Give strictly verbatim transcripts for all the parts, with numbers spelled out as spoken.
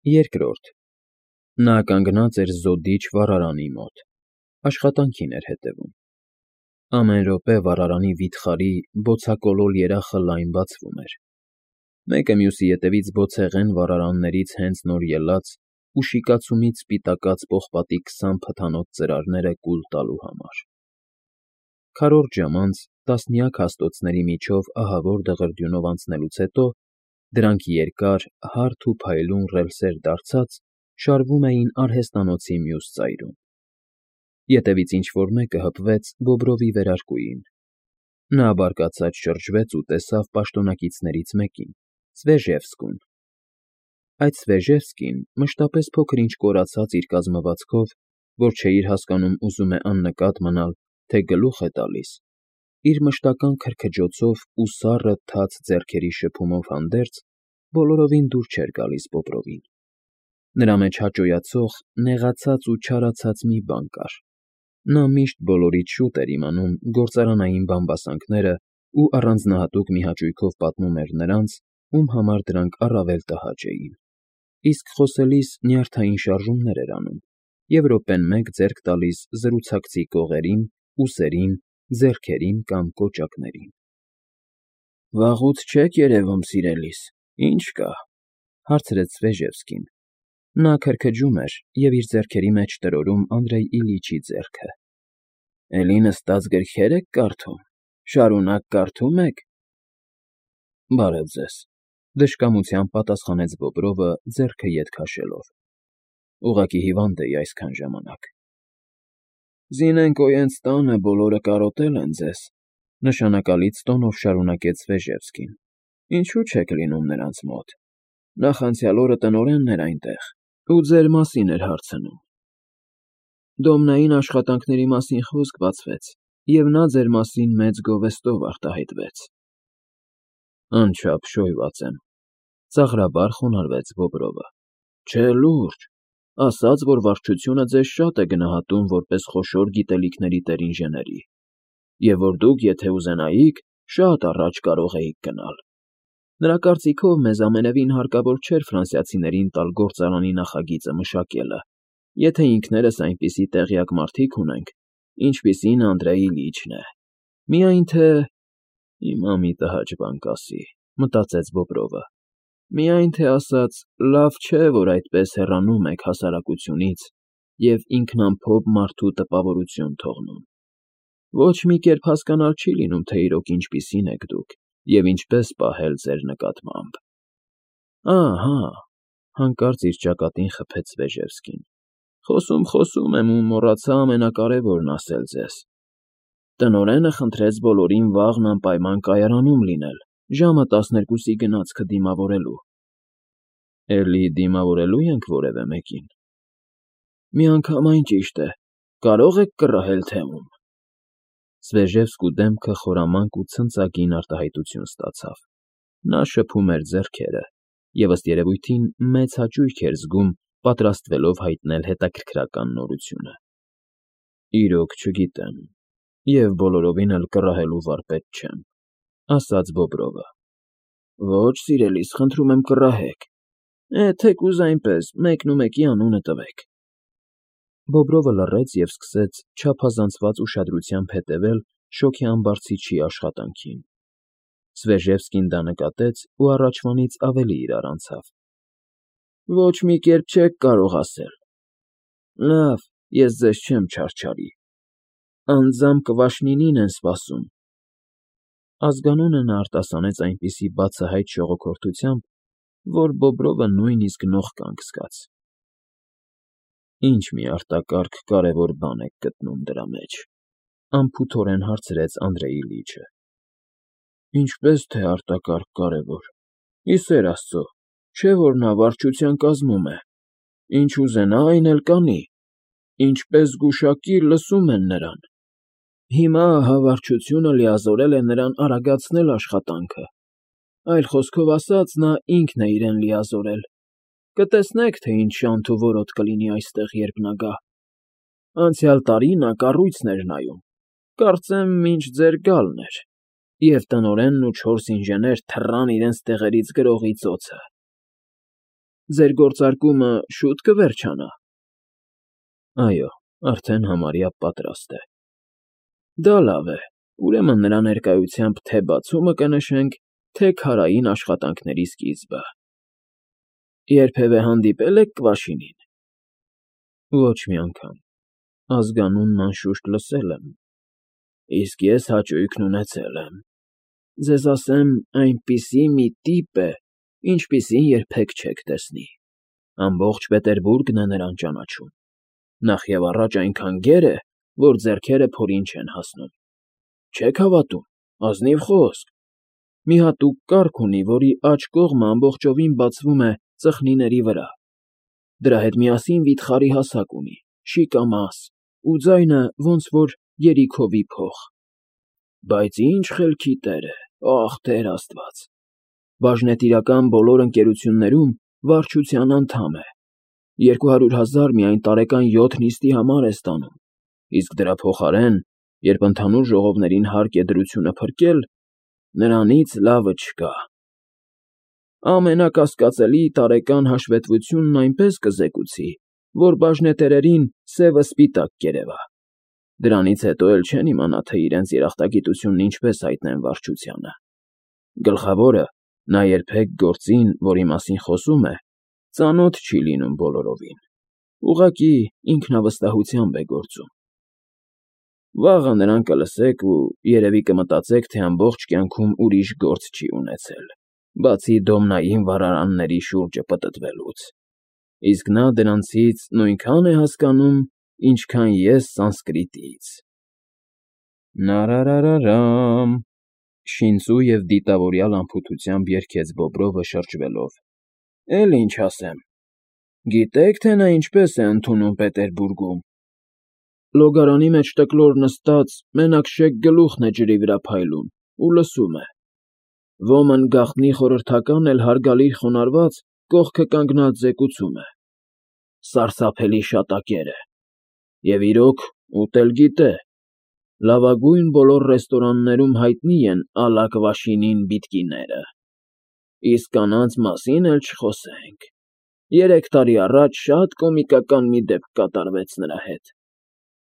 Երկրորդ Նա կանգնած էր զոդիչ վառարանի մոտ, աշխատանքին էր հետևում. ամեն րոպե վառարանի վիթխարի, բոցակոլոր երախը լայն բացվում էր, մեկը մյուսի ետևից բոցեղեն վառարաններից հենց նոր ելած ու շիկացումից սպիտակած պողպատի քսան փթանոց ծրարները կուլ տալու համար. քառորդ ժամ անց, տասնյակ հաստոցների միջով ահավոր դղրդյունով անցնելուց հետո, դրանք երկար, հարթ ու փայլուն ռելսեր դարձած, շարվում էին արհեստանոցի մյուս ծայրում. ետևից ինչ֊որ մեկը հպվեց Բոբրովի վերարկուին. նա բարկացած շրջվեց ու տեսավ պաշտոնակիցներից մեկին՝ Սվեժևսկուն. այդ Սվեժևսկին, մշտապես փոքր֊ինչ կորացած իր կազմվածքով, որ չէիր հասկանում ուզում է աննկատ մնալ, թե գլուխ է տալիս, իր մշտական քրքջոցով ու սառը, թաց ձեռքերի շփումով հանդերձ, բոլորովին դուր չէր գալիս Բոբրովին. նրա մեջ հաճոյացող, նեղացած ու չարացած մի բան կար. նա միշտ բոլորից շուտ էր իմանում գործարանային բամբասանքներն ու առանձնահատուկ մի հաճույքով պատմում էր նրանց, ում համար դրանք առավել տհաճ էին, իսկ խոսելիս նյարդային շարժումներ էր անում և րոպեն մեկ ձեռք տալիս զրուցակցի կողերին, ուսերին, ձեռքերին կամ կոճակներին։ ֊ Վաղուց չեք երևում, սիրելիս, ի՞նչ կա,֊ հարցրեց Սվեժևսկին. նա քրքջում էր և իր ձեռքերի մեջ տրորում Անդրեյ Իլիչի ձեռքը։ ֊ Էլի նստած գրքե՞ր եք կարդում, շարունակ կարդում եք։ ֊ Բարև ձեզ,֊ դժկամությամբ պատասխանեց Բոբրովը, ձեռքը ետ քաշելով,֊ ուղղակի հիվանդ էի այսքան ժամանակ։ ֊ Զինենկոյենց տանը բոլորը կարոտել են ձեզ,֊ նշանակալից տոնով շարունակեց Սվեժևսկին,֊ ինչու չեք լինում նրանց մոտ. նախանցյալ օրը տնօրենն էր այնտեղ ու ձեր մասին էր հարցնում. դոմնային աշխատանքների մասին խոսք բացվեց, և նա ձեր մասին մեծ գովեստով արտահայտվեց։ ֊ Անչափ շոյված եմ,֊ ծաղրաբար խոնարհվեց Բոբրովը,֊ չէ, լուրջ, ասաց, որ վարչությունը ձեզ շատ է գնահատում որպես խոշոր գիտելիքների տեր֊ինժեների, և որ դուք, եթե ուզենայիք, շատ առաջ կարող էիք գնալ։ Նրա կարծիքով մեզ ամենևին հարկավոր չէր ֆրանսիացիներին տալ գործարանի նախագիծը մշակելը, եթե ինքներս այնպիսի տեղյակ մարդիկ ունենք, ինչպիսին Անդրեյ Իլիչն է, միայն թե… հիմա մի տհաճ բան կասի, մտածեց Բոբրովը, միայն թե ասած, լավ չէ, որ այդպես հեռանում եք հասարակությունից և ինքնամփոփ մարդու տպավորություն թողնում։ Ոչ մի կերպ հասկանալ չի լինում, թե իրոք ինչպիսին եք դուք և ինչպես պահել ձեր նկատմամբ։ ֊ Ահա,֊ հանկարծ իր ճակատին խփեց Սվեժևսկին,֊ խոսում, խոսում եմ ու մոռացա ամենակարևորն ասել ձեզ. տնօրենը խնդրեց բոլորին վաղն անպայման կայարանում լինել, ժամը տասներկուսի գնացքը դիմավորելու։ ֊ Էլի դիմավորելո՞ւ ենք որևէ մեկին։ ֊ Միանգամայն ճիշտ է, կարո՞ղ եք կռահել, թե ում։ Սվեժևսկու դեմքը խորամանկ ու ցնծագին արտահայտություն ստացավ. նա շփում էր ձեռքերը և, ըստ երևույթին, մեծ հաճույք էր զգում, պատրաստվելով հայտնել հետաքրքրական նորությունը։ ֊ Իրոք չգիտեմ, և բոլորովին էլ կռահելու վարպետ չեմ,֊ ասաց Բոբրովը։ ֊ Ոչ, սիրելիս, խնդրում եմ, կռահեք։ Է, թեկուզ այնպես, մեկնումեկի անունը տվեք։ Բոբրովը լռեց և սկսեց չափազանցված ուշադրությամբ հետևել շոգի ամբարձիչի աշխատանքին։ Սվեժևսկին դա նկատեց ու առաջվանից ավելի իրար անցավ։ ֊ Ոչ մի կերպ չեք կարող ասել։ ֊ Լավ, ես ձեզ չեմ չարչարի։ Անձամբ Կվաշնինին են սպասում։ Ազգանունը նա արտասանեց այնպիսի բացահայտ շողոքորթությամբ, որ Բոբրովը նույնիսկ նող կանգ զգաց։ ֊ Ինչ մի արտակարգ կարևոր բան եք գտնում դրա մեջ,֊ անփութորեն հարցրեց Անդրեյ Իլիչը։ ֊ Ինչպես թե արտակարգ կարևոր, ի սեր Աստծո, չէ՞ որ նա վարչության կազմում է, ինչ ուզենա, այն էլ կանի, ինչպես գուշակի, լսում են նրան։ Հիմա ահա վարչությունը լիազորել է նրան արագացնել աշխատանքը, այլ խոսքով ասած, նա ինքն է իրեն լիազորել։ Կտեսնեք, թե ինչ շանթ ու որոտ կլինի այստեղ, երբ նա գա։ Անցյալ տարի նա կառույցն էր նայում, կարծեմ մինչ ձեր գալն էր, և տնօրենն ու չորս ինժեներ թռան իրենց տեղերից գրողի ծոցը։ ձեր գործարկումը շուտ կվերջանա։ Այո, արդեն համարյա պատրաստ է։ Դա լավ է, ուրեմն նրա ներկայությամբ թե բացումը կնշենք, թե քարային աշխատանքների սկիզբը։ Երբևէ հանդիպե՞լ եք Կվաշինին։ Ոչ մի անգամ, ազգանունն անշուշտ լսել եմ, իսկ ես հաճույքն ունեցել եմ։ Ձեզ ասեմ, այնպիսի մի տիպ է, ինչպիսին երբեք չեք տեսնի։ Ամբողջ Պետերբուրգն է նրան ճանաչում։ Նախևառաջ այնքան գեր է, որ ձեռքերը փորին չեն հասնում։ Չեք հավատում, ազնիվ խոսք։ Մի հատուկ կառք ունի, որի աջ կողմը ամբողջովին բացվում է ծխնիների վրա։ Դրա հետ միասին վիթխարի հասակ ունի, շիկամաս, ու ձայնը ոնց որ երիքովի փող։ Բայց ինչ խելքի տեր է, ախ, Տեր Աստված։ Բաժնետիրական բոլոր ընկերություններում վարչության անդամ է։ Երկու հարյուր հազար միայն տարեկան յոթ նիստի համար է ստանում, իսկ դրա փոխարեն, երբ ընդհանուր ժողովներին հարկ է դրությունը փրկել, նրանից լավը չկա։ Ամենակասկածելի տարեկան հաշվետվությունն այնպես կզեկուցի, որ բաժնետերերին սևը սպիտակ կերևա։ Դրանից հետո էլ չեն իմանա, թե իրենց երախտագիտությունն ինչպես հայտնեն վարչությանը։ Գլխավորը, նա երբեք գործին, որի մասին խոսում է, ծանոթ չի լինում բոլորովին, ուղղակի ինքնավստահությամբ է գործում։ Վաղը նրան կլսեք ու երևի կմտածեք, թե ամբողջ կյանքում ուրիշ գործ չի ունեցել, բացի դոմնային վառարանների շուրջը պտտվելուց, իսկ նա դրանցից նույնքան է հասկանում, ինչքան ես սանսկրիտից։ Նարարարարամ, շինծու և դիտավորյալ անփութությամբ երգեց Բոբրովը շրջվելով։ Էլ ինչ ասեմ։ Գիտե՞ք, թե նա ինչպես է ընդունում Պետերբուրգում։ Լոգարանի մեջ տկլոր նստած, մենակ շեկ գլուխն է ջրի վրա փայլում ու լսում է։ Ոմն գաղտնի խորհրդական էլ հարգալից խոնարհված կողքը կանգնած զեկուցում է. Սարսափելի շատակեր է։ Եվ իրոք, ուտել գիտե։ Լավագույն բոլոր ռեստորաններում հայտնի են ա լա Կվաշինին բիտկիները։ Իսկ կանանց մասին էլ չխոսենք։ Երեք տարի առաջ շատ կոմիկական մի դեպք կատարվեց նրա հետ։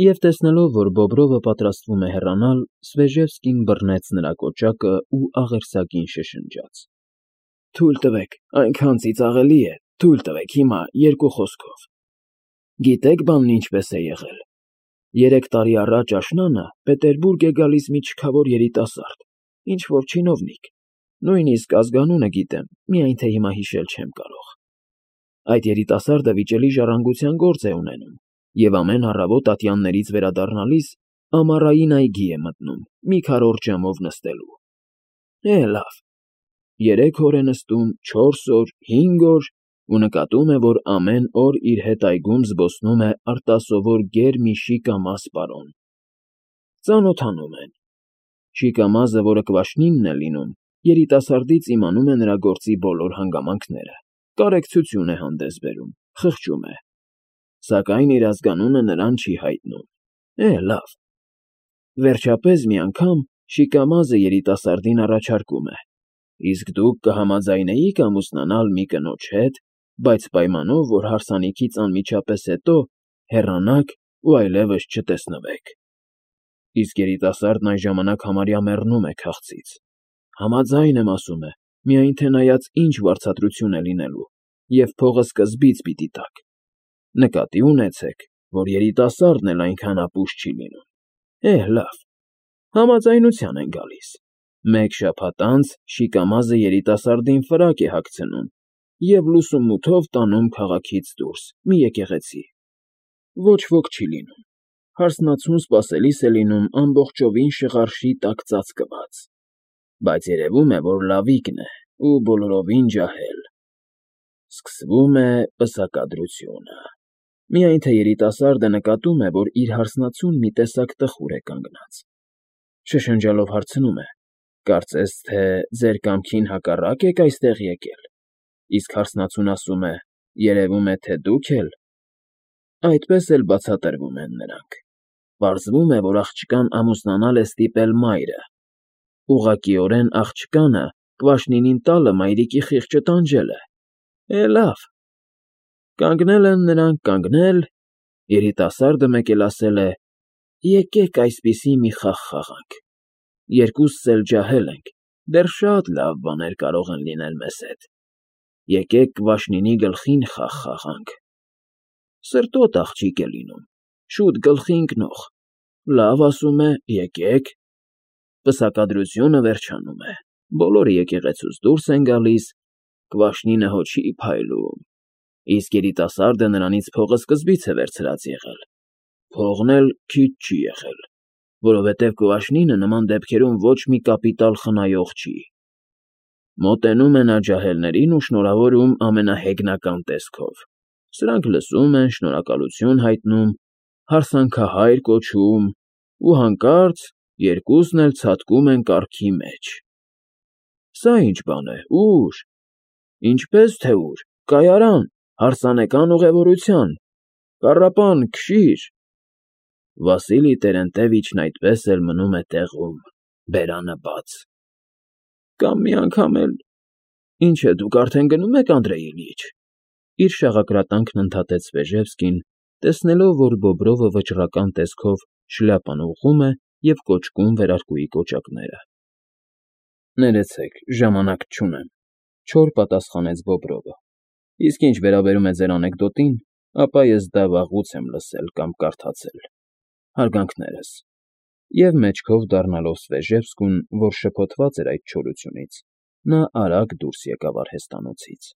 Եվ տեսնելով, որ Բոբրովը պատրաստվում է հեռանալ, Սվեժևսկին բռնեց նրա կոճակը ու աղերսագին շշնջաց. Թույլ տվեք, այնքան ծիծաղելի է, թույլ տվեք հիմա երկու խոսքով։ Գիտեք բանն ինչպես է եղել։ Երեք տարի առաջ աշնանը Պետերբուրգ է գալիս մի չքավոր երիտասարդ, ինչ-որ չինովնիկ, նույնիսկ ազգանունը գիտեմ, միայն թե հիմա հիշել չեմ կարող։ Այդ երիտասարդը վիճելի ժառանգության գործ է ունենում, և ամեն առավոտ ատյաններից վերադառնալիս ամառային այգի է մտնում, մի քառորդ ժամով նստելու։ Է, լավ։ Երեք օր է նստում, չորս օր, հինգ օր, ու նկատում է, որ ամեն օր իր հետ այգում զբոսնում է արտասովոր գեր մի շիկամաս պարոն։ Ծանոթանում են։ Շիկամազը, որը Կվաշնինն է լինում, երիտասարդից իմանում է նրա գործի բոլոր հանգամանքները, կարեկցություն է հանդես բերում, խղճում է։ Սակայն իր ազգանունը նրան չի հայտնում։ Է, լավ։ Վերջապես մի անգամ Շիկամազը երիտասարդին առաջարկում է. Իսկ դուք կհամաձայնեիք ամուսնանալ մի կնոջ հետ, բայց պայմանով, որ հարսանիքից անմիջապես հետո հեռանաք ու այլևս չտեսնվեք։ Իսկ երիտասարդն այն ժամանակ համարյա մեռնում է քաղցից։ Համաձայն եմ, ասում է, միայն թե նայած ինչ վարձատրություն է լինելու, և փողը սկզբից պիտի տաք։ Նկատի ունեցեք, որ երիտասարդն էլ այնքան ապուշ չի լինում։ Է, լավ։ Համաձայնության են գալիս։ Մեկ շաբաթ անց Շիկամազը երիտասարդին ֆրակ է հագցնում և լուսումութով տանում քաղաքից դուրս, մի եկեղեցի։ Ոչ ոք չի լինում։ Հարսնացուն սպասելիս է լինում ամբողջովին շղարշի տակ ծածկված։ Բայց երևում է, որ լավիկն է ու բոլորովին ջահել։ Սկսվում է պսակադրությունը։ Միայն թե երիտասարդը նկատում է, որ իր հարսնացուն մի տեսակ տխուր է կանգնած։ Շշնջալով հարցնում է. Կարծես թե ձեր կամքին հակառակ եք այստեղ եկել։ Իսկ հարսնացուն ասում է. երևում է, թե դուք էլ։ Այդպես էլ բացատրվում են նրանք։ Պարզվում է, որ աղջկան ամուսնանալ է ստիպել մայրը։ Ուղղակիորեն աղջկանը Կվաշնինին տալը մայրիկի խիղճը տանջել է։ Է, լավ, Կանգնել են նրանք, կանգնել, երիտասարդը մեկ էլ ասել է. «Եկեք այսպիսի մի խաղ խաղանք, երկուսս էլ ջահել ենք, դեռ շատ լավ բաներ կարող են լինել մեզ հետ, եկեք Կվաշնինի գլխին խաղ խաղանք»։ Սրտոտ աղջիկ է լինում, շուտ գլխի ընկնող, լավ ասում է՝ եկեք։ Պսակադրությունը վերջանում է, բոլորը եկեղեցուց դուրս են գալիս, Կվաշնինը հո չի փայլում, իսկ երիտասարդը նրանից փողը սկզբից է վերցրած եղել, փողն էլ քիչ չի եղել, որովհետև Կվաշնինը նման դեպքերում ոչ մի կապիտալ խնայող չի։ Մոտենում է նա ջահելներին ու շնորհավորում ամենահեգնական տեսքով, սրանք լսում են, շնորհակալություն հայտնում, հարսանքահայր կոչում ու հանկարծ երկուսն էլ ցատկում են կառքի մեջ։ Սա ի՞նչ բան է, ո՞ւր։ Ինչպե՞ս թե ուր, կայարան, հարսանեկան ուղևորության, կառապան, քշի՛ր։ Վասիլի Տերենտևիչն այդպես էլ մնում է տեղում, բերանը բաց։ Կամ մի անգամ էլ… Ինչ է, դուք արդեն գնում եք, Անդրեյ Իլյիչ, իր շաղակրատանքն ընդհատեց Վեժևսկին, տեսնելով, որ Բոբրովը վճռական տեսքով շլյապան ուղղում է և կոճկում վերարկուի կոճակները։ Ներեցեք, ժամանակ չունեմ, չոր պատասխանեց Բոբրովը, իսկ ինչ վերաբերում է ձեր անեկդոտին, ապա ես դա վաղուց եմ լսել կամ կարդացել, հարգանքներս։ Եվ մեջքով դառնալով Svezhevskուն, որ շփոթված էր այդ չորությունից, նա արագ դուրս եկավ արհեստանոցից։